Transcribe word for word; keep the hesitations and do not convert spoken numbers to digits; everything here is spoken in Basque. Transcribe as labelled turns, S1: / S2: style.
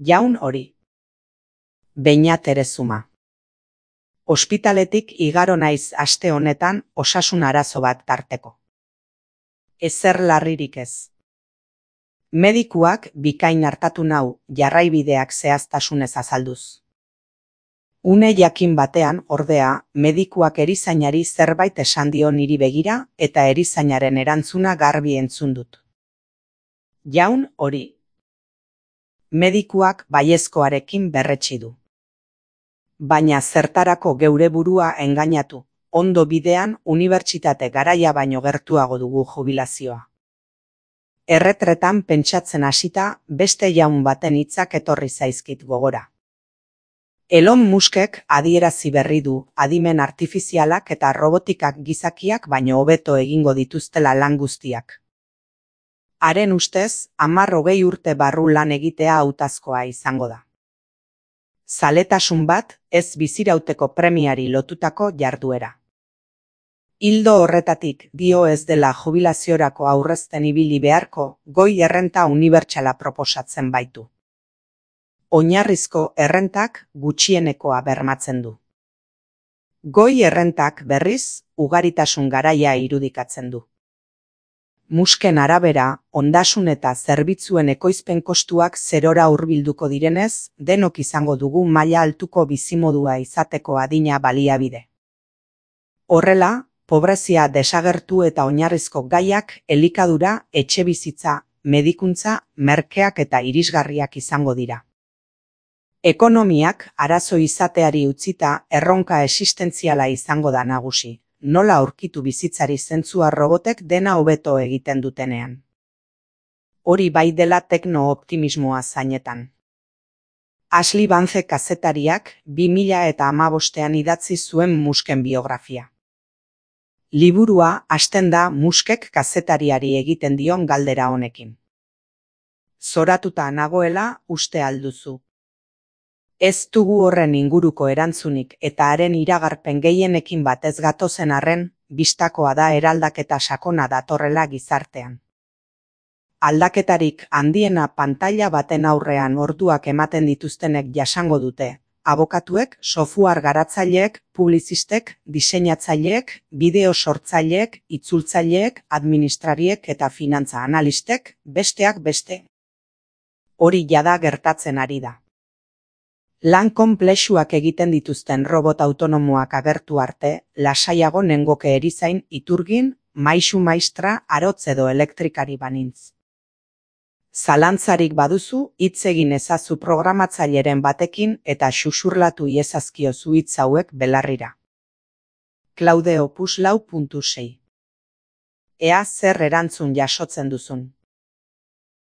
S1: Jaun hori. Beñat Erezuma. Ospitaletik igaro naiz aste honetan osasun arazo bat tarteko. Ezer larririk ez. Medikuak bikain hartatu nau jarraibideak zehaztasunez azalduz. Une jakin batean, ordea, medikuak erizainari zerbait esan dio niri begira eta erizainaren erantzuna garbi entzun dut. Jaun hori. Medikuak baiezkoarekin berretsi du. Baina zertarako geure burua engainatu, ondo bidean unibertsitate garaia baino gertuago dugu jubilazioa. Erretretan pentsatzen hasita beste jaun baten hitzak etorri zaizkit gogora. Elon Muskek adierazi berri du adimen artifizialak eta robotikak gizakiak baino hobeto egingo dituztela lan guztiak. Haren ustez, hamar hogei urte barru lan egitea hautazkoa izango da. Zaletasun bat, ez bizirauteko premiari lotutako jarduera. Ildo horretatik dio ez dela jubilaziorako aurrezten ibili beharko, goi errenta unibertsala proposatzen baitu. Oinarrizko errentak gutxienekoa bermatzen du. Goi errentak berriz, ugaritasun garaia irudikatzen du. Musken arabera, ondasun eta zerbitzuen ekoizpen kostuak zerora hurbilduko direnez, denok izango dugu maila altuko bizimodua izateko adina baliabide. Horrela, pobrezia desagertu eta oinarrizko gaiak elikadura, etxebizitza, medikuntza, merkeak eta irisgarriak izango dira. Ekonomiak arazo izateari utzita erronka existentziala izango da nagusi. Nola aurkitu bizitzari zentzua robotek dena hobeto egiten dutenean. Hori bai dela tekno-optimismoa zainetan. Ashley Vance kazetariak bi mila eta hamabostean idatzi zuen Musken biografia. Liburua hasten da Muskek kazetariari egiten dion galdera honekin. Zoratuta nagoela uste alduzu. Ez dugu horren inguruko erantzunik eta haren iragarpen gehienekin batez gatozen arren, bistakoa da eraldaketa sakona datorrela gizartean. Aldaketarik handiena pantaila baten aurrean orduak ematen dituztenek jasango dute, abokatuek, software garatzaileek, publizistek, diseinatzaileek, bideo sortzaileek, itzultzaileek, administrariek eta finantza analistek, besteak beste. Hori jada gertatzen ari da. Lan konplexuak egiten dituzten robot autonomoak agertu arte, lasaiago nengoke erizain, iturgin, maisu maistra, arotz edo elektrikari banintz. Zalantzarik baduzu, hitz egin ezazu programatzaileren batekin eta xuxurlatu iezazkiozu hitz hauek belarrira. Claude Opus lau puntu sei. Ea zer erantzun jasotzen duzun.